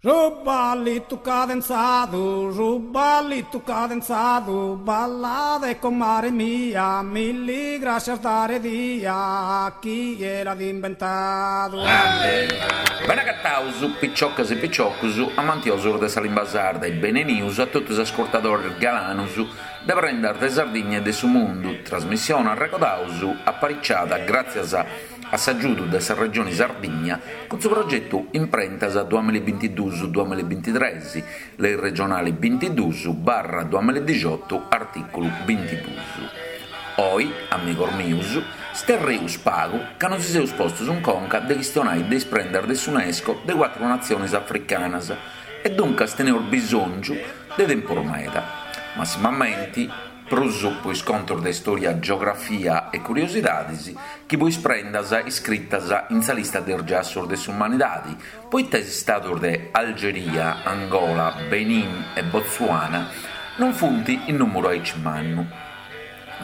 Su ballitu cadenzadu, su ballitu cadenzadu, ballade comare mia, milli grascias dare dia, chie l'at imbentadu. Bene agataus, piciocas e piciocus, amantiosus de sa limba sarda e benenius a totu is ascurtadores galanus de Prendas de Sardigna e de su Mundu, trasmissione, arregodaus, apariciada gràtzias a a s'agiudu de sa Regioni Sardigna cun su progetu Imprentas duamillabintiduus duamillabintitres, Lei regionali bintiduus barra duamilladixotu artìculu bintiduus. Oi, amigos mius, sterreus pagu ca nosi seus postus in conca de chistionai de is prendas de s'UNESCO de cuatru natzionis africanas e duncas teneus bisòngiu de tempus meda, massimamenti, prus po is contos de istòria, geografia e curiosidadis chi po is prendas iscritas in sa lista de is giassos de s'umanidadi, poita is istados de Algeria, Angola, Benin e Botswana non funt in nùmuru aici mannu.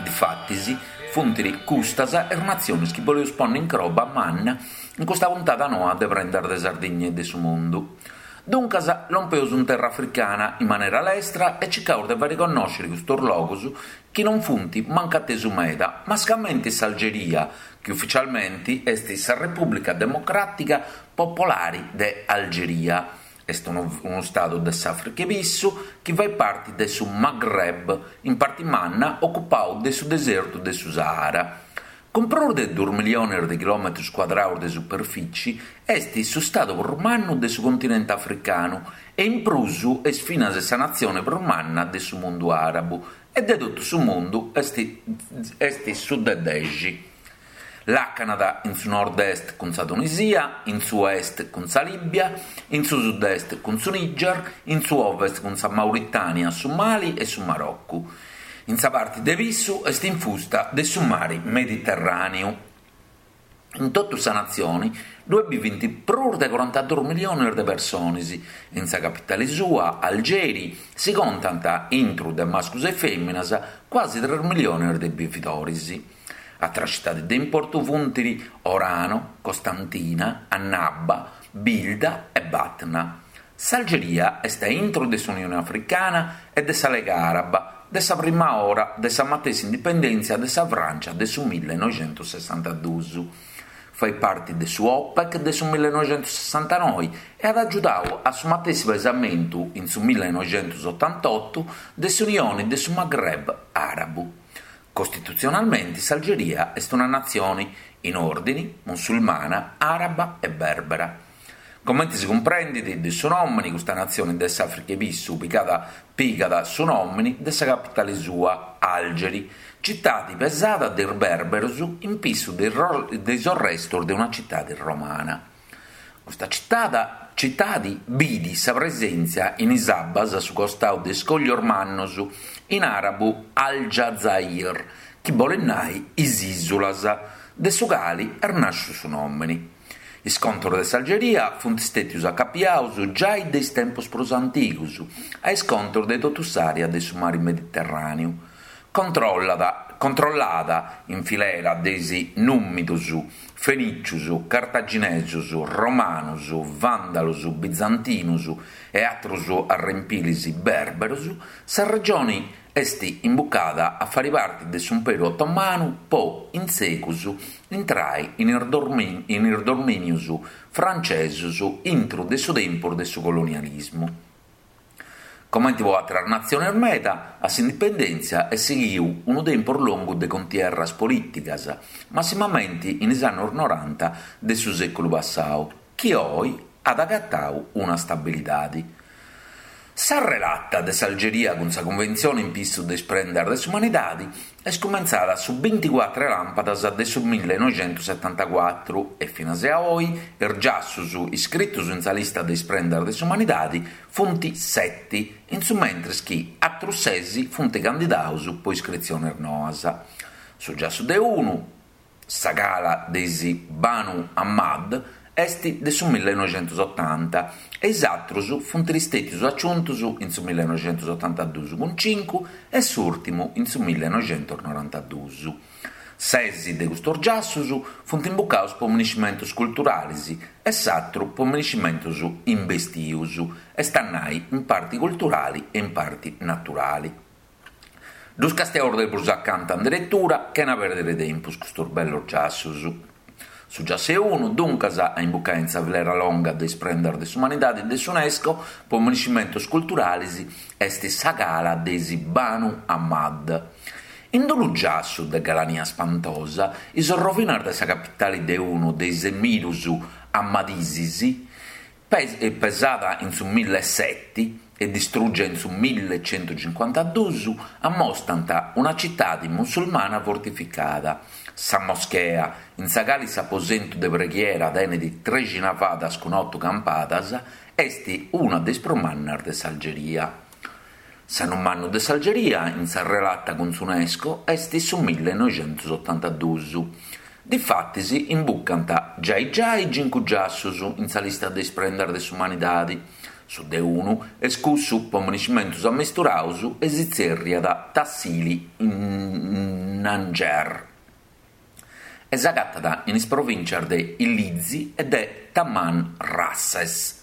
Difatis, funt custas is natziones chi boleus ponni in croba manna in custa puntada noa de Prendas de Sardigna e de su Mundu. Duncas lompeus in terra africana in manera lestra e circaus de fai connòscere custos logos chi non funt mancu atesu meda, mascamenti s'Algeria, chi ufficialmenti est sa Repùblica Democràtica Popolari de Algeria. Est unu stadu de s'Àfrica 'e Pissu chi fait parti de su Maghreb, in parti manna ocupau de su desertu de su Sahara. Cun prus de duus milliones de chilòmetrus cuadraus de superfici, est su stadu prus mannu de su continente africanu e in prus est finas sa natzione prus manna de su mundu àrabu e de totu su mundu est est su de dexi. Làcanat in su nord-est cun sa Tunisia, in su est cun sa Lìbia, in su sud-est cun su Niger, in su ovest cun sa Mauritània, su Mali e su Marocu. In sa parti de pissu est infusta de su mari Mediterràneu. In totu sa natzioni ddue bivint prus de corantaduus milliones de persones e in sa capitali sua, Algeri, si contant, intru de mascus e fèminas, cuasi tres milliones de bividoris. Atras citadis de importu funt Orano, Costantina, Annaba, Bilda e Batna. S'Algeria est a intro de s'Unione Africana e de sa Lega Araba de sa prima ora de sa matessi indipendèntzia de sa Frància de su millenoixentosessantaduus. Fait parti de su OPEC de su millenoixentosessantanoi e at agiudau a su matessi pesamentu in su millenoixentosotantottu de s'Unione de su Maghreb Àrabu. Costitutzionalmenti s'Algeria est una natzione in òrdini, musulmana, àraba e bèrbera. Comente si cumprendit de su nòmini, custa natzione de s'Àfrica 'e Pissu pigat su nòmini de sa capitale sua, Algeri, citade pesada de is bèrberos in pissu de is orrestos de una citade romana. Custa citade bidi sa presèntzia in is abbas a su costau de iscòglios mannos, in àrabu Al-Jazair, chi bolet nai is ìsulas, de su cali est nàsciu su nòmini. Is contos de s'Algeria funt stètius acapiaus giai de is tempos prus antigus a is contos de totu s'àrea de su mari Mediterràneu, controllada in filera de is nùmidus, fenìcius, cartaginesus, romanus, vàndalus, bizantinus e atrus arrempilis bèrberus, sa regioni Est imbucada a fari parti de s'Umperu Otomanu po, in segus, intrai in is domìnius francesus intru de su tempus de su colonialismu. Comenti po àteras natziones meda, a s'indipendèntzia est sighiu unu tempus longu de contierras polìticas, massimamenti in is annos noranta de su sèculu passau, chi oi at agatau una stabilidadi. Sa relata de s'Algeria cun sa Cunventzione in pissu de is prendas de s'umanidadi est cumentzada su binticuatru 'e làmpadas de su millenoixentosetantacuatru e finas a oi is giassus iscritus in sa lista de is prendas de s'umanidadi funt seti, in su mentris chi atrus ses funt candidaus po iscritziones noas. Su giassu de unu, Sa cala de is Banu Hammad est de su millenoixentosotanta e is atrus funt stètius aciuntus in su millenoixentosotantadus cun cincu e s'ùrtimu in su millenoixentosnorantadus. Ses de custos giassos funt imbucados po miniscimentos culturalis e s'atru po miniscimentos imbestius, est a nai in parti culturali e in parti naturali. Ddus castiaus de prus acanta in deretura chena pèrdere tempus custos bellos giassos. Su giassu 'e unu, duncas, a imbucai in sa filera longa de is prendas de s'umanidadi de s'Unesco po miniscimentos culturalis est sa cala de is Banu Amad. In unu giassu de galania spantosa, is orrovinas de sa capitali de unu de is emirus Amadisis, pesada in su milleseti e distrùgia in su millecentucincuantaduus, ammostant una citadi musulmana fortificada. Sa moschea, in sa cali s'aposentu de preghiera tenet trexi navadas cun otu campadas, est una de is prus mannas de s'Algeria. S'annu mannu de s'Algeria in sa relata cun s'Unesco est su millenoixentusotantaduus. Difatis imbucant giai giai cincu giassus in sa lista de is prendas de s'umanidadi. Su de unu est cussu po miniscimentus ammesturaus e si tzerriat Tassili n'Ajjer e s'agatat in is provìntzias de Illizi e de Tamanrasset.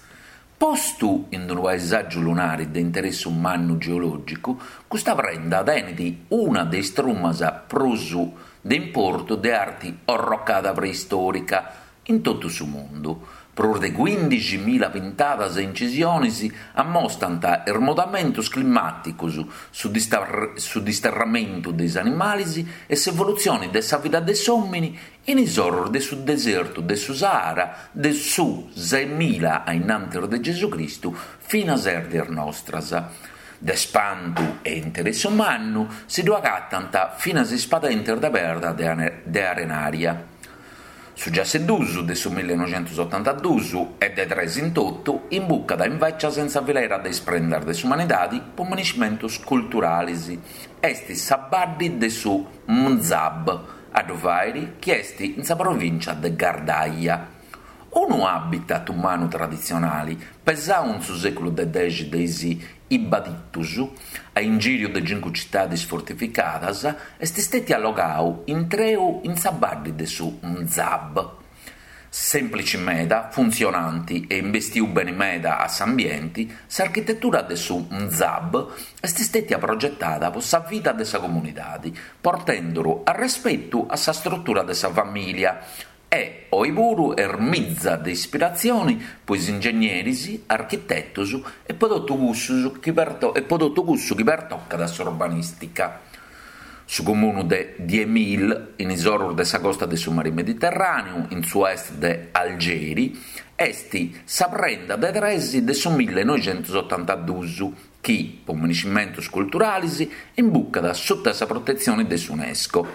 Postu in unu paesàgiu lunari de interessu mannu geològicu, custa prenda tenet una de is trumas prus de importu de arti orrocada preistòrica in totu su mundu. Prus de cuìndixi mila pintadas e incisiones ammostant is mudamentos climàticos, su disterramentu de is animales e s'evolutzione de sa vida de s'òmine in is oros de su desertu de su Sahara de su seimila a innantis de Gesù Cristu finas a is dies nostras. De spantu e interessu mannu si ddu agatant finas is padentes de perda de arenaria. Su giassu 'e duus de su millenoixentusotantaduus e de tres in totu imbucat invècias in sa filera de is prendas de s'umanidadi po miniscimentus culturalis. Est sa baddi de su Mzab a ddu fàiri chi est in sa provìncia de Ghardaia. Unu habitat umanu traditzionali, pesau in su sèculu de dexi de is Ibaditus, a ingìriu de cincu citadis fortificadas, est stètiu allogau intreu in sa baddi de su Mzab. Sèmplici meda, funtzionanti e imbestiu beni meda a s'ambienti, s'architetura de su Mzab est stètia progetada po sa vida de sa comunidadi, portenduru arrespetu a sa strutura de sa famìlia e, oi puru, est mitza de ispiratzioni po is ingegneris, architetus e po totu cussu chi pertocat s'urbanìstica. Su comunu de Diemil, in is orus de sa costa de su Mari Mediterràneu, in su est de Algeri, est sa prenda de tres de su millenoixentusotantaduus chi, po miniscimentus culturalis, imbucat suta sa protetzioni de s'Unesco.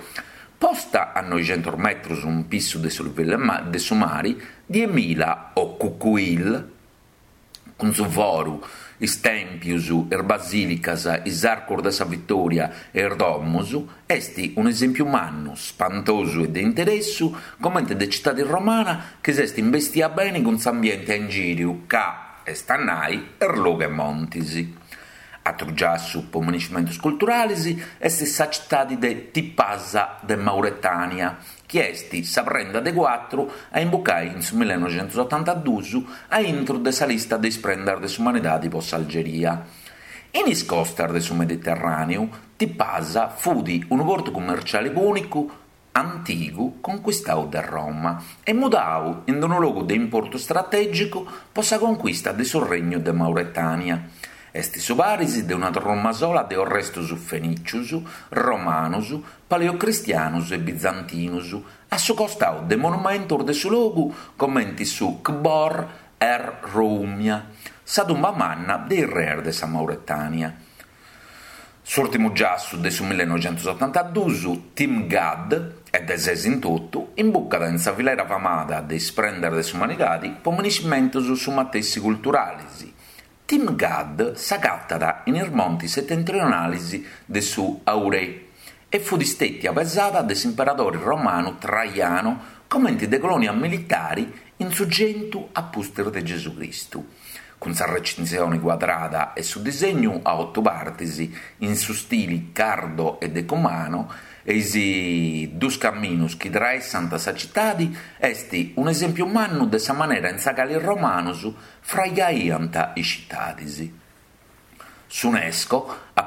Posta a noixentus metrus in pissu de su livellu de su mari, Diemila o Cucuil, cun su foru, is tèmpius, is basìlicas, is arcus de sa Vitòria e is domus, est un'esèmpiu mannu, spantosu e de interessu comente de citadi romana chi s'est imbestia beni cun s'ambienti a ingìriu ca, est a nai, est logu 'e montis. Atru giassu po miniscimentus culturalis est sa citadi de Tipasa de Mauretània, chi est sa prenda de cuatru a imbucai in su millenoixentusotantaduus a intru de sa lista de is prendas de s'umanidadi po s'Algeria. In is costas de su Mediterràneu, Tipasa fut unu portu cummerciali pùnicu antigu concuistau de Roma e mudau in unu logu de importu stratègicu po sa concuista de su Regnu de Mauretània. Est su paris de una truma sola de orrestus fenìcius, romanus, paleocristianus e bizantinus, a su costau de monumentus de su logu comenti su Kbor er Roumia, sa tumba manna de is reis de sa Mauretània. S'ùrtimu giassu de su millenoixentusotantaduus, Timgad, e de ses in totu, imbucat in sa filera famada de is prendas de s'umanidadi po miniscimentus su matessi culturalis. Timgad s'agatat in is montis setentrionalis de su Aurè e fut stètia pesada de s'imperadori romanu Traiano comenti de colonia militari in su centu a pustis de Gesù Cristu. Cun sa recintzioni cuadrada e su disegnu a otu partis in su stili cardo e decumano. e is dus camminus chi traessant sa citadi est un'esèmpiu mannu de sa manera in sa cali is romanus fraigaiant is citadis. S'Unesco, a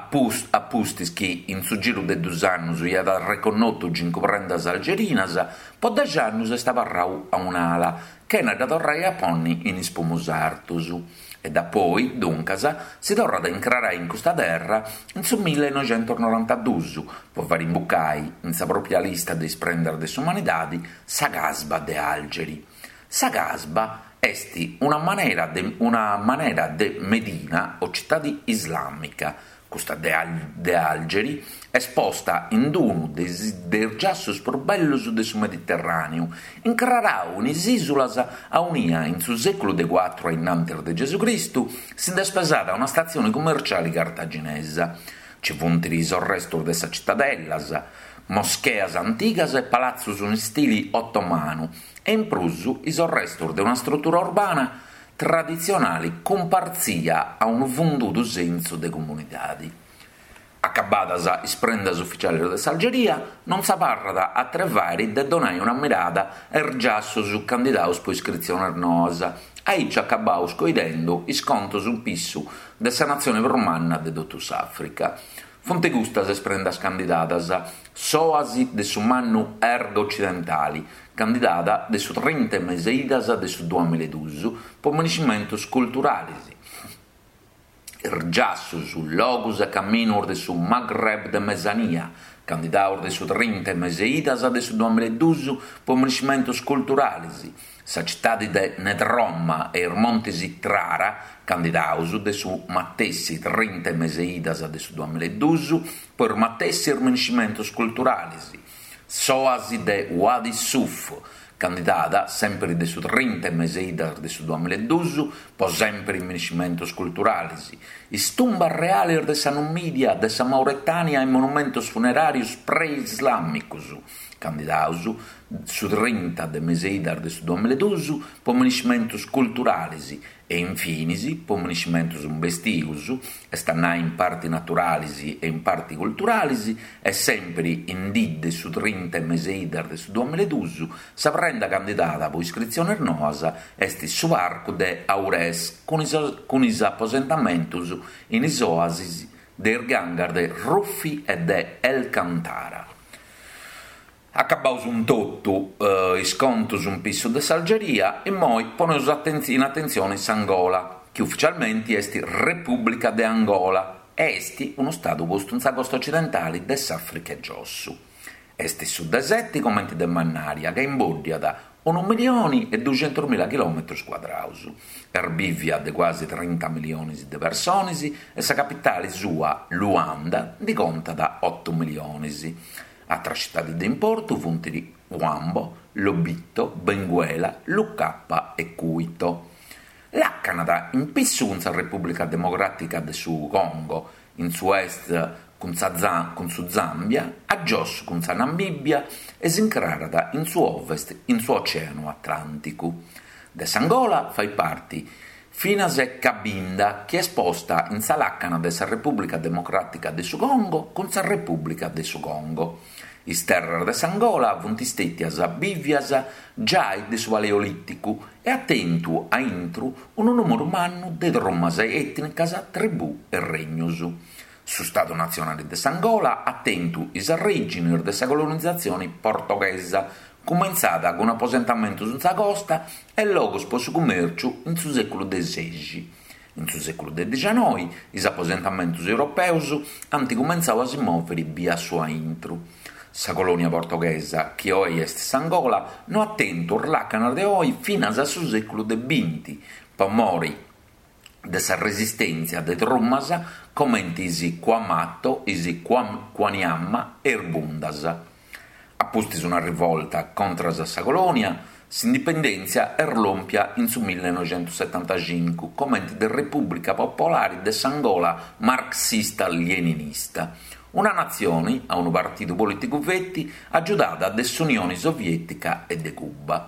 pustis chi in su giru de dus annus iat arreconnotu cincu prendas algerinas, po dexi annus est abarrau a un'ala, chena dda torrai a ponni in is pumus artus. E dapoi, duncas, si torrat a incrarai in custa terra in su millenoixentusnorantadus, po fari imbucai in sa pròpia lista de is prendas de s'umanidadi sa Casba de Algeri. Sa Casba est una manera de una manera de medina o citadi islàmica, custa de de Algeri est posta in unu de is de is giassus prus bellus de su Mediterràneu, incrarau in is ìsulas aunia in su sèculu de cuatru a innantis de Gesù Cristu si nd'est pesada una statzioni cummerciali cartaginesa. Ci funt is orrestus de sa citadellas, moscheas antigas e palatzus in stili otomanu e in prus is orrestus de una strutura urbana traditzionali cumpartzia a unu fundudu sensu de comunidadi. Acabadas is prendas uficialis de s'Algeria, non s'abarrat atru 'e fàiri de donai una mirada a is giassus candidaus po iscritzionis noas, aici acabaus coidendu is contus in pissu de sa natzioni prus manna de totu s'Àfrica. Funt custas is prendas candidadas, s'òasi de su mannu Erg Ocidentali, candidada de su trinta 'e mes'e idas de su duamiledus po miniscimentus culturalis, is giassus, logus e caminus de su Maghreb de Mesania, candidaus de su trinta 'e mes'e idas de su duamiledus po miniscimentus culturalis, sa citadi de Nedroma e is montis Trara, candidaus de su matessi trinta 'e mes'e idas de su duamiledus po is matessis miniscimentus culturalis, S'òasi de Wadi Suf, candidada sèmpiri de su trinta 'e mes'e idas de su duamiledus po sèmpiri miniscimentus culturalis, is tumbas realis de sa Numìdia, de sa Mauretània e monumentus funeràrius pre-islàmicus, candidaus su trinta de mes'e idas de su duamiledus po miniscimentus culturalis e infinis po miniscimentus imbestius, est a nai in parti naturalis e in parti culturalis, e sèmpiri in dì de su trinta 'e mes'e idas de su duamiledus, sa prenda candidada po iscritzionis noas est su parcu de Aurès cun is cun is aposentamentus in is oasis de is gangas de Ruffi e de El Kantara. Acabaus cun totu is contus in pissu de s'Algeria, immoi poneus in atentzioni s'Angola, chi uficialmenti est Repùblica de Angola e est unu stadu postu in sa costa ocidentali de s'Àfrica 'e Giossu. Est su de seti comenti de mannària ca imbòddiat unu milioni e duxentusmila chilòmetrus cuadraus. Est bìvia de cuasi trinta milionis de personis e sa capitali sua, Luanda, ndi contat otu milionis. Atras citadis de importu funt Huambo, Lobito, Benguela, Lucapa e Cuito. Làcanat in pissu cun sa Repùblica Democràtica de su Congo, in su est cun sa cun su Zàmbia, a giossu cun sa Namìbia e s'incrarat in su ovest in su Ocèanu Atlànticu. De s'Angola fait parti Finas e Cabinda, chi est posta in sa làcana de sa Repùblica Democràtica de su Congo cun sa Repùblica de su Congo. Is terras de s'Angola funt stètias bìvias giai de su Paleolìticu e at tentu a intru unu nùmeru mannu de trumas ètnicas, tribù e regnus. Su Stadu Natzionali de s'Angola at tentu is arrèginis de sa colonizatzioni portoghesa, cumentzada cun aposentamentus in sa costa e logus po su cumèrciu in su sèculu de sexi. In su sèculu de dixanoi is aposentamentus europeus ant cumentzau a si mòviri bia su a intru. Sa colònia portoghesa, chi oi est s'Angola, no at tentu is làcanas de oi finas a su sèculu de binti, po mori de sa resistèntzia de trumas comenti is Cuamato, is Cuaniama e is Bundas. A pustis una rivolta contras a sa colònia, s'indipendèntzia est lòmpia in su millenoixentussetantacincu comenti de Repùblica Popolari de s'Angola marxista-leninista, una natzioni a unu partidu polìticu feti agiudada de s'Unioni Soviètica e de Cuba.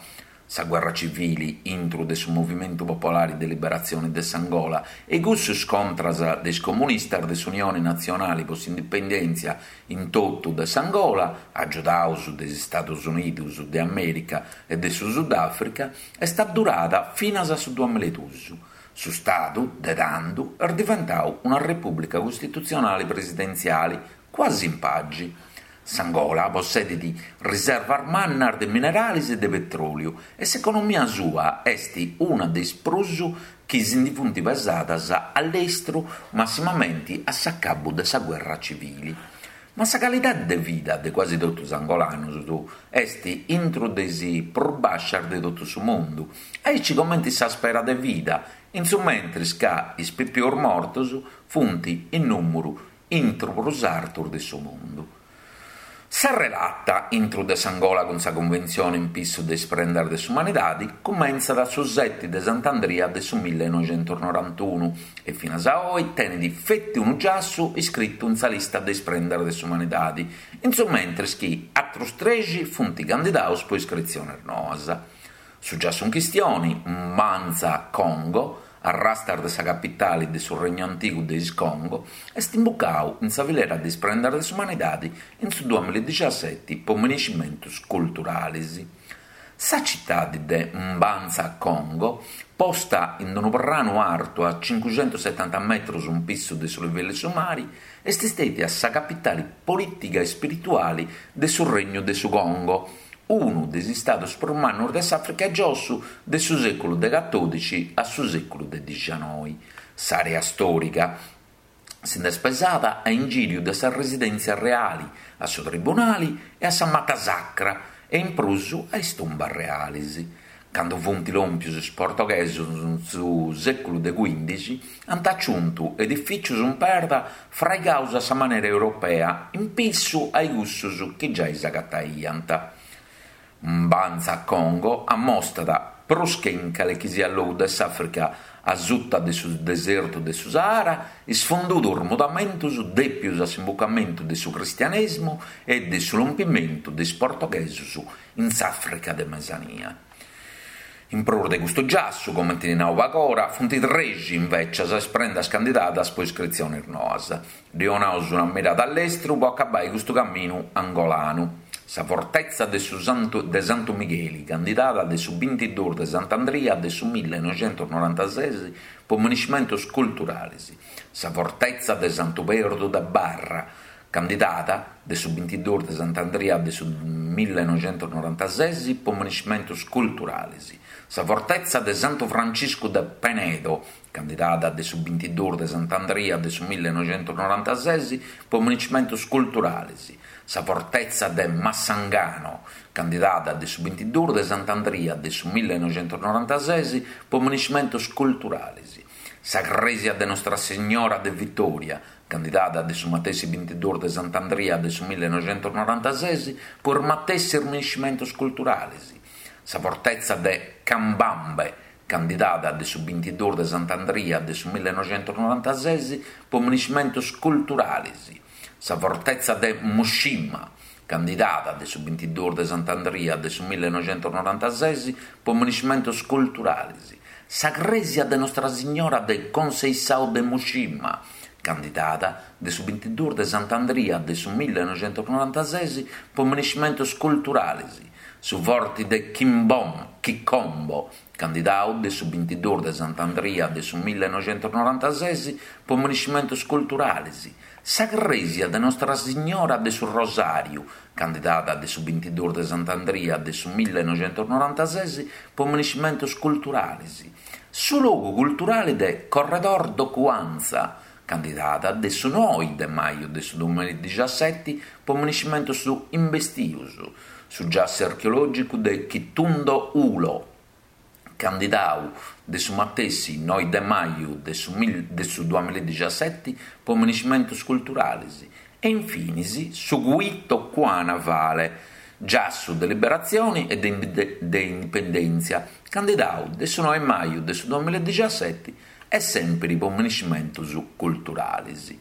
Sa guerra civili intru de su Movimentu Popolari de Liberatzioni de s'Angola e cussus contras de is comunistas de s'Unioni Natzionali po s'Indipendèntzia in totu de s'Angola, agiudaus de is Stadus Unidus de Amèrica e de su Sudàfrica, est addurada finas a su duamiladus. Su Stadu, de tandu, est diventau una repùblica costitutzionali presidentziali, cuasi in pagi. S'Angola possedit riservas mannas de mineralis e de petròliu e s'economia sua est una de is prus chi si ndi funt pesadas a lestru massimamenti a s'acabu de sa guerra civili. Ma sa calidadi de vida de cuasi totu is angolanus est intru de is prus bàscias de totu su mundu, aici comenti sa spera de vida, in su mentris ca is pipius mortus funt in nùmuru intru prus artus de su mundu. Sa relata intru de s'Angola cun sa Cunventzione in pissu de is prendas de s'umanidadi cumentzat su seti de Sant'Andria de su millenoixentusnorantunu e finas a oi tenit feti unu giassu iscritu in sa lista de is prendas de s'umanidadi, in su mentris chi atrus trexi funt candidaus po iscritziones noas. Su giassu in chistioni, Mbanza Congo, arrastas de sa capitali de su regnu antigu de is Congo, est imbucau in sa filera de is prendas de s'umanidadi in su duamilladixaseti po minescimentus culturalis. Sa citadi de Mbanza Congo, posta in unu pranu artu a cincuxentusetanta metrus in pissu de su livellu 'e su mari, est stètia sa capitali polìtiga e spirituali de su Regnu de su Congo, unu de is istadus prus mannus de s'Àfrica 'e giossu de su sèculu de catòdixi a su sèculu de dixanoi. S'àrea stòriga si nd'est pesada a ingìriu de sa residèntzia reali, a su tribunali e a sa mata sacra e in prus a is tumbas realis. Candu funt lòmpius is portoghesus in su sèculu de cuìndixi, ant aciuntu edifìcius in perda fraigaus a sa manera europea in pissu a cussus chi giai s'agataiant. Mbanza Congo ammostat, prus che in calechisiat logu de s'Àfrica a suta de su desertu de su Sahara, is fundudos mudamentos dèpius a s'imbucamentu de su cristianèsimu e de su lompimentu de is portoghesos in s'Àfrica de Mesania. In prus de custu giassu, comenti nau pagora, funt trexi invècias is prendas candidadas po iscritzionis noas. Ddi 'onaus una mirada a lestru po acabai custu caminu angolanu. Sa fortetza de su Santu de Santu Migheli, candidada de su bintiduus de Sant'Andria de su millenoixentusnorantases po minescimentus culturalis. Sa fortetza de Santu Perdu de Barra, Candidada de su bintiduus de Sant'Andria de su millenoixentusnorantases po minescimentus culturalis, sa fortetza de Santu Franciscu de Penedo, candidada de su bintiduus de Sant'Andria de su millenoixentusnorantases po minescimentus culturalis, sa fortetza de Massangano, candidada de su bintiduus de Sant'Andria de su millenoixentusnorantases po minescimentus culturalis, sa crèsia de Nostra Signora de Vitòria, candidada de su matessi bintiduus de Sant'Andria de su millenoixentusnorantases po is matessis minescimentus culturalis, sa fortetza de Cambambe, candidada de su bintiduus de Sant'Andria de su millenoixentusnorantases po minescimentus culturalis, sa fortetza de Muxima, candidada de su bintiduus de Sant'Andria de su millenoixentusnorantases po minescimentus culturalis, sa crèsia de Nostra Signora de Conceição de Muxima, candidada de su bintiduus de Sant'Andria de su millenoixentusnorantases po minescimentus culturalis, su forti de Quimbom, Quicombo, candidau de su bintiduus de Sant'Andria de su millenoixentusnorantases po minescimentus culturalis, Sa crèsia de Nostra Signora de su Rosàriu, candidada de su bintiduus de Sant'Andria de su millenoixentusnorantases po minescimentus culturalis, su logu culturali de Corredor do Cuanza, candidada de su noi de maju de su duamilladixaseti po minescimentus imbestius, su giassu archeològicu de Quitundo Ulo, candidau de su matessi noi de maju de su de su duamilladixaseti po minescimentus culturalis e infinis su Cuito Cuanavale, giassu de liberatzioni e de indipendèntzia, candidau de su noi maju de su duamilladixaseti e sèmpiri po minescimentus culturalis.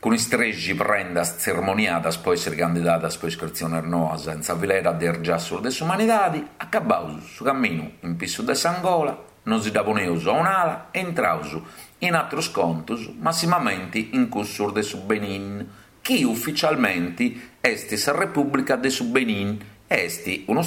Cun is trexi prendas tzermoniadas po èssiri candidadas po iscritziones noas in sa filera de is giassus de s'umanidadi, acabaus su caminu in pissu de s'Angola, nosi dda poneus a un'ala e intraus in atrus contus, massimamenti in cussus de su Benin, chi uficialmenti est sa Repùblica de su Benin e est unu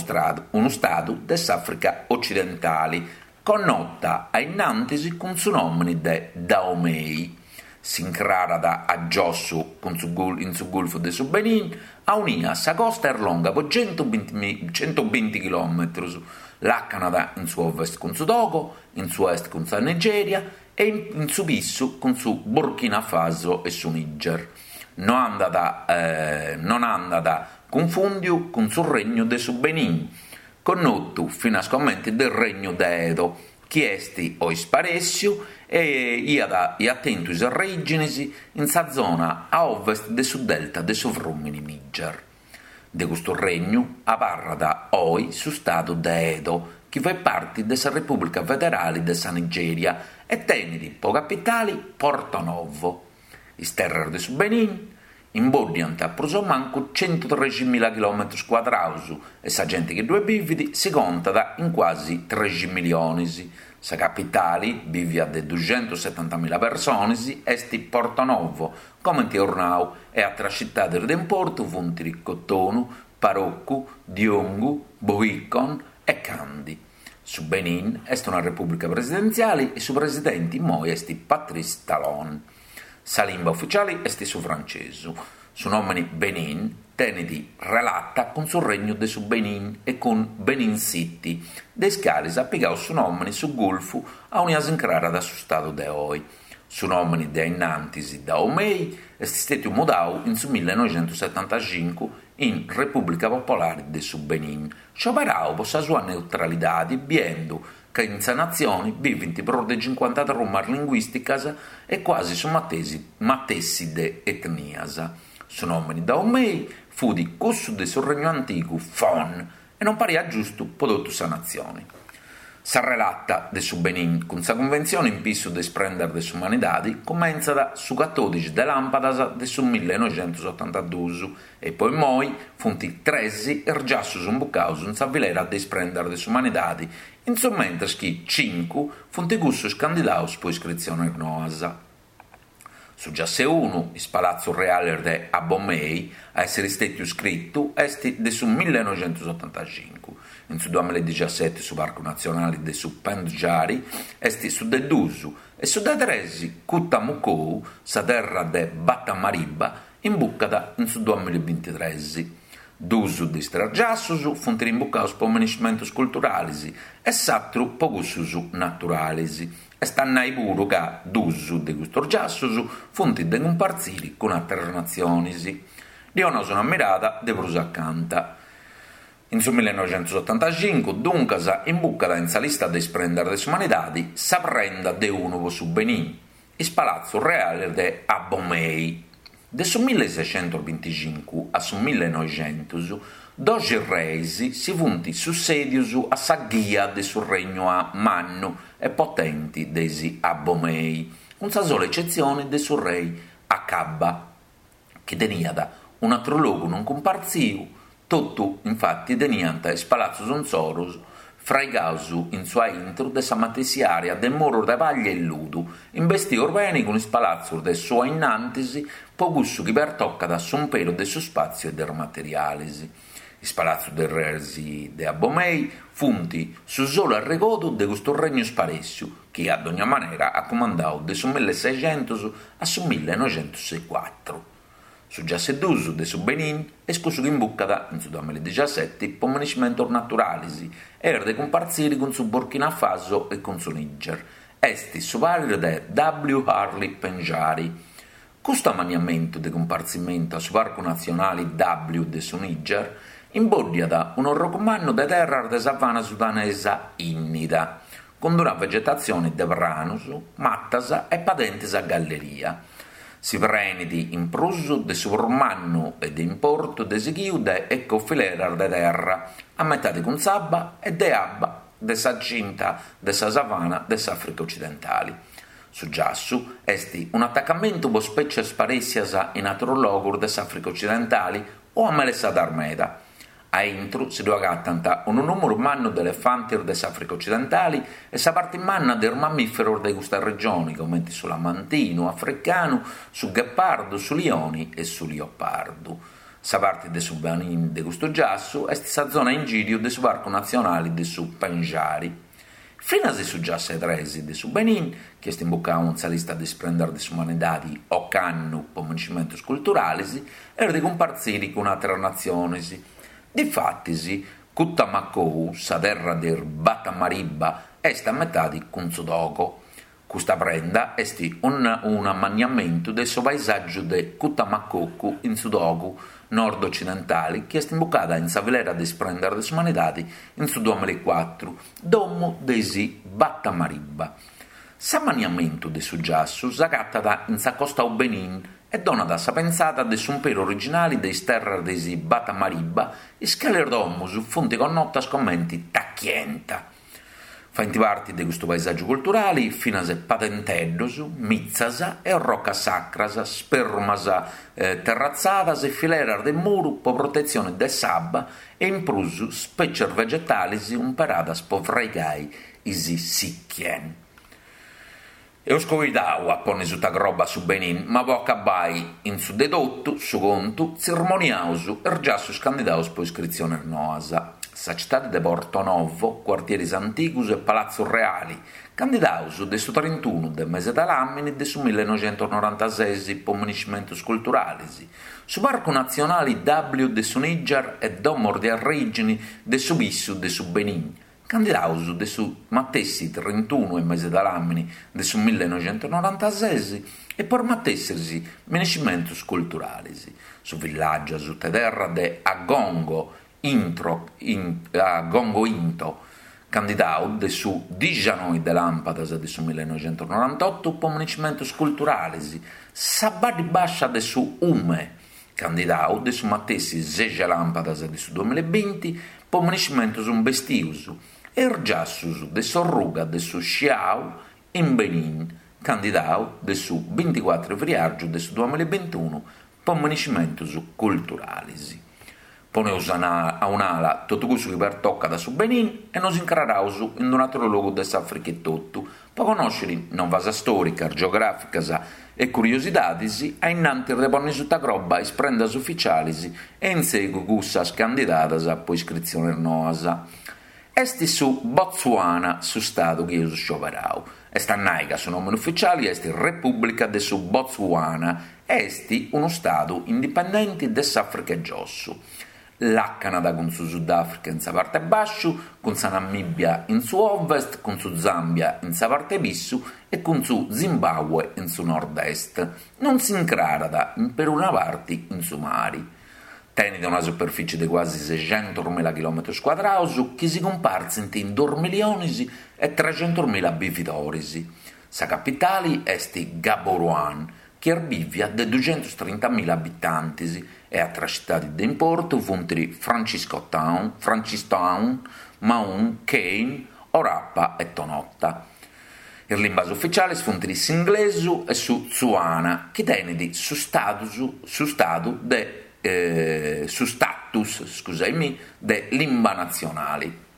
unu stadu de s'Àfrica Ocidentali, connota a innantis cun su nòmini de Dahomey. S'incrarat a giossu cun su in su Gulfu de su Benin, aunia sa costa est longa po centubinti chilòmetrus, làcanat in su ovest cun su Togo, in su est cun sa Nigèria e in su pissu cun su Burkina Faso e su Niger. No andat non andat cunfùndiu cun su Regnu de su Benin, connotu finas comente de Regnu de Edo, chi est oi sparèssiu e iat iat tentu is arrèginis in sa zona a ovest de su delta de su frùmini Niger. De custu regnu abarrat oi su stadu de Edo, chi fait parti de sa Repùblica Federali de sa Nigèria e tenit po capitali Porto Novo. Is terras de su Benin imboddiant prus o mancu centutreximila chilòmetrus cuadraus e sa genti chi ddue bivit si contat in cuasi trexi milionis. Sa capitali, bivia de duxentussetantamila personis, est Porto Novo, comenti eus nau, e atras citadis de importu funt Cotonu, Parakou, Diongu, Bohicon e Kandi. Su Benin est una repùblica presidentziali e su presidenti immoi est Patrice Talon. Sa limba uficiali est su francesu. Su nòmini Benin tenit relata cun su Regnu de su Benin e cun Benin City, de is calis at pigau su nòmini su gulfu aunia s'incrarat su stadu de oi. Su nòmini de ainnantis Dahomey est stètiu mudau in su millenoixentussetantacincu in Repùblica Popolari de su Benin, scioberau po sa sua neutralidadi biendu ca in sa natzioni bivint prus de cincuanta trumas linguìsticas e cuasi su matessi de etnias. Su nòmini Dahomey fut cussu de su regnu antigu Fon e non pariat giustu po totu sa natzioni. Sa relata de su Benin cun sa cunventzione in pissu de is prendas de s'umanidadi cumentzat su catòdixi de làmpadas de su millenoixentusotantaduus e po immoi funt tres is giassus imbucaus in sa filera de is prendas de s'umanidadi, in su mentres chi cincu funt cussus candidaus po iscritziones noas. Su giass'e unu, is palatzus reales de Abomey, a èssere istètiu iscritu est de su millenoixentusotantacincu. In su duamilla e su Parcu Natzionale de su Pendjari est su de dus e su de tres, Koutammakou, sa terra de Batammariba, imbucat in su duamilla e bintitres. Dus de is tres giassus funt imbucaus po minescimentus culturalis e s'atru po cussus naturalis. Est a nai puru ca dus de custus giassus funt de cumpartziri cun àteras natzionis. Ddi 'onaus una mirada de prus acanta. In su millenoixentusotantacincu, duncas, imbucat in sa lista de is prendas de s'umanidadi sa prenda de unu po su Benin, is palatzus reales de Abomey. De su millesexentusbinticincu a su millenoixentus, doxi reis si funt sussèdius a sa ghia de su regnu mannu e potenti de is Abomey, cun sa sola ecetzioni de su rei Akaba, chi teniat un'atru logu non cumpartziu, totu infati teniant is palatzus insoru fraigaus in su aintru de sa matessi area de murus de paglia e ludu, imbestius beni cun is palatzus de su ainnantis po cussu chi pertocat s'umperu de su spàtziu e de is materialis. Is palatzus de is reis de Abomey funt su solu arregodu de custu regnu sparèssiu chi, a dogna manera, at cumandau de su milleseixentus a su millenoixentusecuatru. Su giass'e dus de su Benin est cussu chi imbucat in su duamilla e po minescimentus naturalis e est de cumpartziri cun su Burkina Faso e cun su Niger. Est su parri de W. Harley Pendjari. Custu amanniamentu de cumpartzimentu a su Parcu Natzionali W de su Niger imbòddiat un'orrogu mannu de terras de savana sudanesa ìnnida, cun una vegetatzione de pranos, matas e padentes a galleria. Si prenit in prus de su prus mannu e de importu de sighiu de ecofileras de terra, a metade cun s'abba e de abba de sa cinta de sa savana de s'Àfrica Ocidentale. Su giassu est un'atacamentu po spècias sparèssias in àterus logus de s'Àfrica ocidentali o amelessadas meda. A intru si ddu agatant unu nùmuru mannu de elefantis de s'Àfrica ocidentali e sa parti manna de is mamìferos de custa regioni, comenti su lamantinu africanu, su ghepardu, su lioni e su liopardu. Sa parti de su Benin de custu giassu est sa zona a ingìriu de su Parcu Natzionali de su Pendjari. Finas su giassu 'e tresi de su Benin, chi est imbucau in sa lista de is prendas de s'umanidadi ocannu po miniscimentus culturalis, est de cumpartziri cun àteras natzionis. Difatis, Koutammakou, sa terra de is Batammariba, est a metadi cun su Togo. Custa prenda est un'amanniamentu de su paesàgiu de Koutammakou in su Togo nord-ocidentali chi est imbucada in sa filera de is prendas de s'umanidadi in su duamillaecuatru, domu de is Batammariba. S'amanniamentu de su giassu s'agatat in s'acostau Benin e donat sa pensada de s'umperu originali de is terras de is Batammariba, is cales domus funt connotas comenti Takienta. Faint parti de custu paesàgiu culturali finas padenteddos, mitzas e orrocas sacras, sperrumas terratzadas e fileras de muru po protetzione de s'abba e in prus spècias vegetalis umperadas po fraigai is sikkien. Eus coidau a ponni suta croba su Benin, ma po acabai in su de totu su contu tzirmoniaus is giassus candidaus po iscritzionis noas. Sa citadi de Porto Novo, cuartieris antigus e Palatzu Reali, candidaus de su trintunu de mese de ladàmini de su millenoixentusnorantases po miniscimentus culturalis, su Parcu Natzionali W de su Niger e Domos de Arrègini de su Pissu de su Benin, candidaus de su matessi trintunu 'e mese de ladàmini de su millenoixentusnorantases e po is matessis miniscimentus culturalis, su villàgiu asuta 'e terra de Agongo Intro Agongo Into, candidau de su dixanoi de làmpadas de su millenoixentusnorantotu po miniscimentus culturalis, sa Baddi Bàscia de su Ume, candidau de su matessi sexi 'e làmpadas de su duamillabinti po miniscimentus imbestius, e is giassus de s'orruga de su Sciau in Benin, candidau de su binticuatru 'e friàrgiu de su duamillabintunu po miniscimentus culturalis. Poneus a un'ala totu cussu chi pertocat su Benin e nos incraraus in un'àteru logu de s'Àfrica etotu po connòsciri novas stòricas, geogràficas e curiosidadis a innantis de ponni suta croba is prendas uficialis e in segu cussas candidadas po iscritzionis noas. Est su Botswana su stadu chi eus scioberau. Est a nai ca su nòmini uficiali est Repùblica de su Botswana e est unu stadu indipendenti de s'Àfrica 'e Giossu. Làcanat cun su Sudàfrica in sa parte 'e bàsciu, cun sa Namìbia in su ovest, cun su Zàmbia in sa parte 'e pissu e cun su Zimbàbue in su nord-est. Non s'incrarat in peruna parti in su mari. Tenit una superfìcie de cuasi sexentusmila chilòmetrus cuadraus chi si cumpartzint in duus milionis e trexentusmila bividoris. Sa capitali est Gaborone, chi est bìvia de duxentustrintamila abitantis e atras citadis de importu funt Francistown, Maun, Kane, Orapa e Tonota. Is limbas uficialis funt s'inglesu e su tsuana, chi tenit su status su stadu de su status scusaimì de limba natzionali.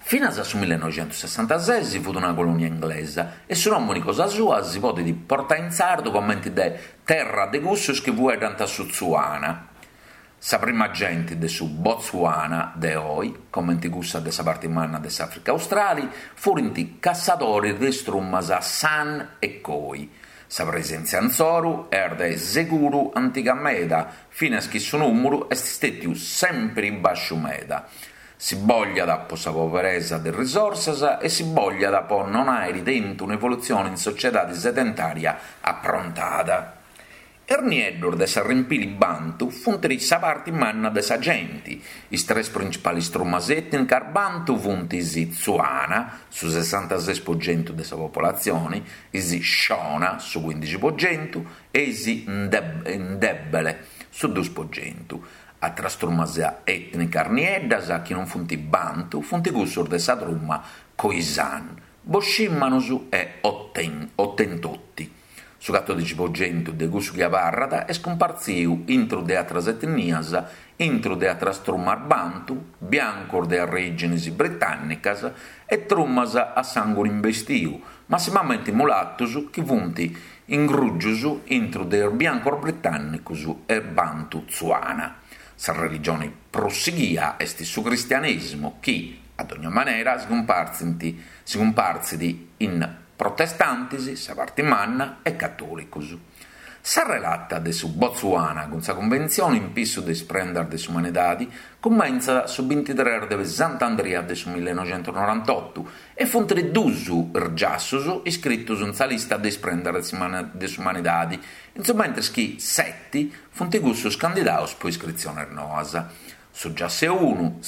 Finas a su millenoixentussessantases fut una colonia inglesa e su nòmini cosa sua si podit portai in sardu comenti de terra de cussus chi fueddant su tsuana. Sa prima genti de su Botswana de oi, comenti cussa de sa parti manna de s'Àfrica Australi, furint cassadoris de is trumas San e Khoi. Sa presèntzia insoru est de seguru antiga meda, finas chi su nùmuru est stètiu sèmpiri bàsciu meda. Si bogliat po sa poberesa de risorsas e si bogliat po non àiri tentu un'evolutzione in sociedade sedentària aprontada. Is nieddus de s'arrempili bantu funt sa parti manna de sa genti. Is tres principalis trumas ètnicas bantu funt is Tsuana, su sessantases po centu de sa popolatzioni, is Shona, su cuindixi po centu, e is Ndebele, su dus po centu. Atras trumas ètnicas nieddas chi non funt bantu funt cussus de sa truma Khoisan. Boscìmanus e Otentotti. Su catodixi po centu de cussu chi abarrat est cumpartziu intru de atras etnias, intru de atras trumas bantu, biancus de arrèginis britànnicas e trumas a sànguni imbestiu, massimamenti mulatus chi funt ingrùgius intru de is biancus britànnicus e bantu tsuana. Sa religioni prus sighia est su cristianèsimu chi, a dogna manera, si cumpartzit in protestantis, sa parti manna, e catòlicus. Sa relata de su Botswana cun sa Cunventzioni in pissu de is prendas de s'umanidadi cumentzat su bintitres de Sant'Andria de su millenoixentusnorantotu e funt dus is giassus iscritus in sa lista de is prendas de s'umanidadi, in su mentris chi seti funt cussus candidaus po iscritzionis noas. Su giassu 'e unu,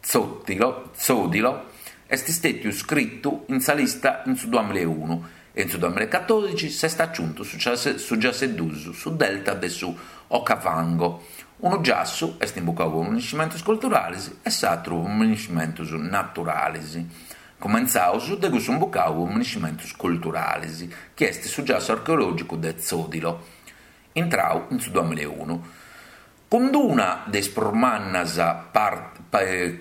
Tsodilo, est stètiu scritu in sa lista in su duamilaeunu e in su duamilaecatòdixi s'est aciuntu su giassu 'e dus, su delta de su Okavango. Unu giassu est imbucau po miniscimentus culturalis e s'atru po miniscimentus naturalis. Cumentzaus de cussu imbucau po miniscimentus culturalis, chi est su giassu archeològicu de Tsodilo, intrau in su duamilaeunu. Cun d'una de is prus mannas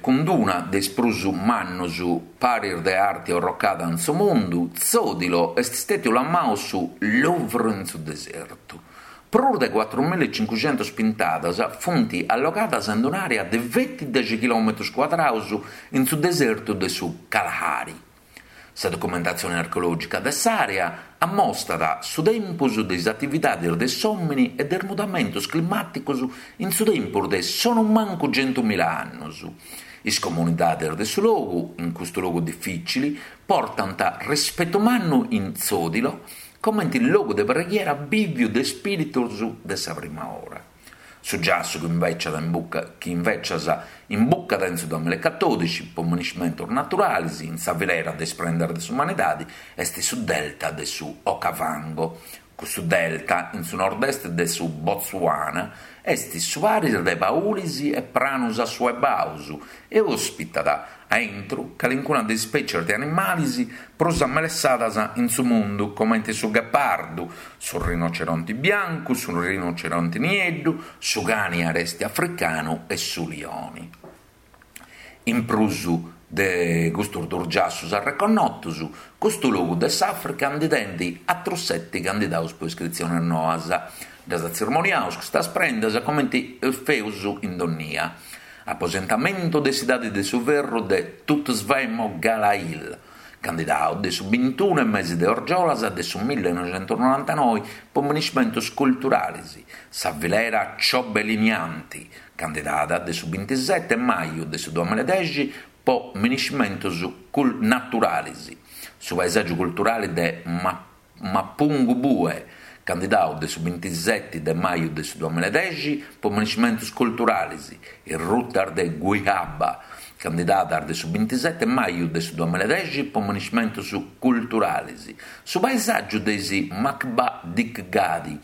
cun d'una de is prus mannus paris de arti orrocada in su mundu, Tsodilo est stètiu lamau su Louvre in su desertu. Prus de cuatrumillaecincuxentus pintadas funt allogadas in un'àrea de feti dexi chilòmetrus cuadraus in su desertu de su Kalahari. Sa documentatzione archeològica de s'àrea ammostat su tempus de is atividades de s'òmine e de is mudamentos climàticos in su tempus de sonumancu centumila annos. Is comunidades de su logu, in custu logu difìcili, portant rispetu mannu in Tsodilo comente logu de preghiera bìviu de ispìritos de sa prima ora. Su giassu chi invècias chi invècias imbucat in su duamilaecatòdixi po miniscimentus naturalis in sa filera de is prendas de s'umanidadi est su delta de su Okavango. Custu delta, in su nord-est de su Botswana, est su paris de paulis e pranus assuebaus e òspitat A intru, calincuna de is spècies de animalis prus amelessadas in su mundu, comente su ghepardu, su rinoceronti biancu, su rinoceronti nieddu, su cani aresti africanu e su lioni. In prus de custus dus giassus arreconnotus, custu logu de s'Àfrica ndi tenit atrus seti candidaus po iscritzionis noas. Ddas atzirmoniaus custas prendas comenti feus in dònnia Aposentamentu de s'idadi de su ferru de Toutswemogala Hill, candidau de su bintunu 'e mesi de orgiolas de su millenoixentusnorantanoi po miniscimentus culturalis, sa filera Chobe Linyanti, candidada de su bintiseti 'e maju de su duamiladexi po miniscimentus naturalis, su paesàgiu culturali de Mapungubwe, candidau de su bintiseti de maju de su duamiladexi po miniscimentus culturalis, is rutas de Guijaba, candidadas de su bintiseti maju de su duamiladexi po miniscimentus culturalis, su paesàgiu de is Makgadikgadi,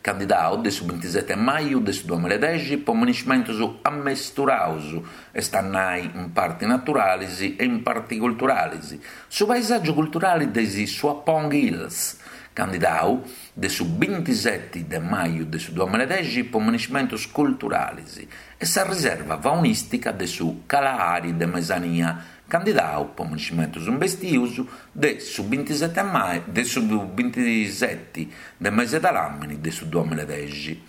candidau de su bintiseti maju de su duamiladexi po miniscimentus ammesturaus, est a nai in parti naturalis e in parti culturalis, Su paesàgiu culturali de is Tswapong Hills, candidau de su bintiseti de maju de su duamiladexi po miniscimentus culturalis, e sa riserva faunìstica de su Kalahari de Mesania, candidau po miniscimentus imbestius de su bintiseti de su bintiseti de mesi de làmini de su duamiladexi.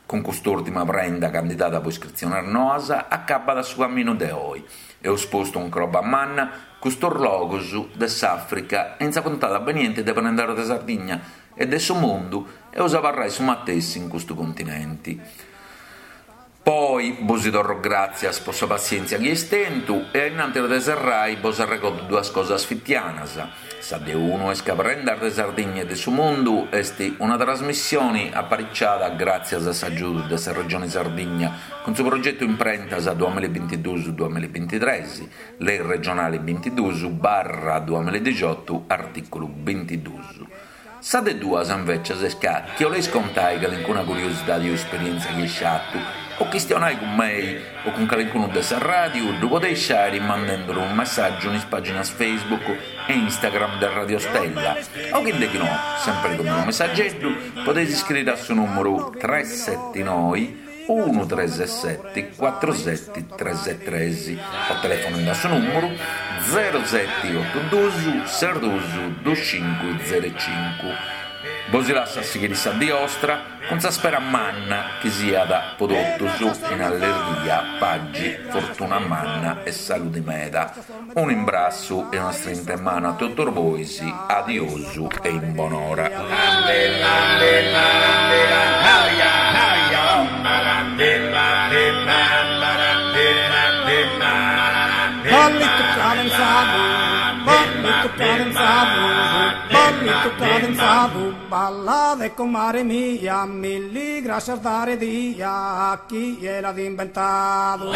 Cun cust'ùrtima prenda candidada po iscritziones noas acabat su caminu de oi. Eus postu in croba manna custos logos de s'Àfrica e in sa puntada beniente de Prendas de Sardigna e de su mundu eus a abarrai su matessi in custu continenti. Po oi bosi torro gràtzias po sa passièntzia chi eis tentu e a innantis de serrai bos arregodu duas cosas fitianas. Sa de unu est ca Prendas de Sardigna e de su Mundu est una trasmissioni apariciada gràtzias a s'agiudu de sa Regioni Sardigna cun su progetu Imprentas duamillabintiduus duamillabintitres, Lei regionali bintiduus barra duamilladixiotu artìculu bintiduus. Sa de duas, invècias, est ca chi 'oleis contai calincuna curiosidadi o esperièntzia chi eis fatu. O chistionai cun mei o cun calincunu de sa ràdiu ddu podeis fai mandenduru unu messàgiu in is pàginas Facebook e Instagram de Radio Stella o chi nde chi no, sempri cun unu messageddu, podeis iscriri a su nùmeru tres seti noi unu tres seti cuatru seti tres tres o telefonendi a su nùmeru zero seti otu dus ses dus dus cincu zero cincu. Bosi lassu a sighiri sa dì 'ostra cun sa spera manna chi siat po totus in allerghia, pagi, fortuna manna e saludi meda. Unu imbrassu e una strinta 'e manu a totus bois, adiosu e in bonora. Ballitu cadenzadu, ballitu cadenzadu, ballitu cadenzadu, ballade comare mia, milli grascias dare dia, chie l'at imbentadu.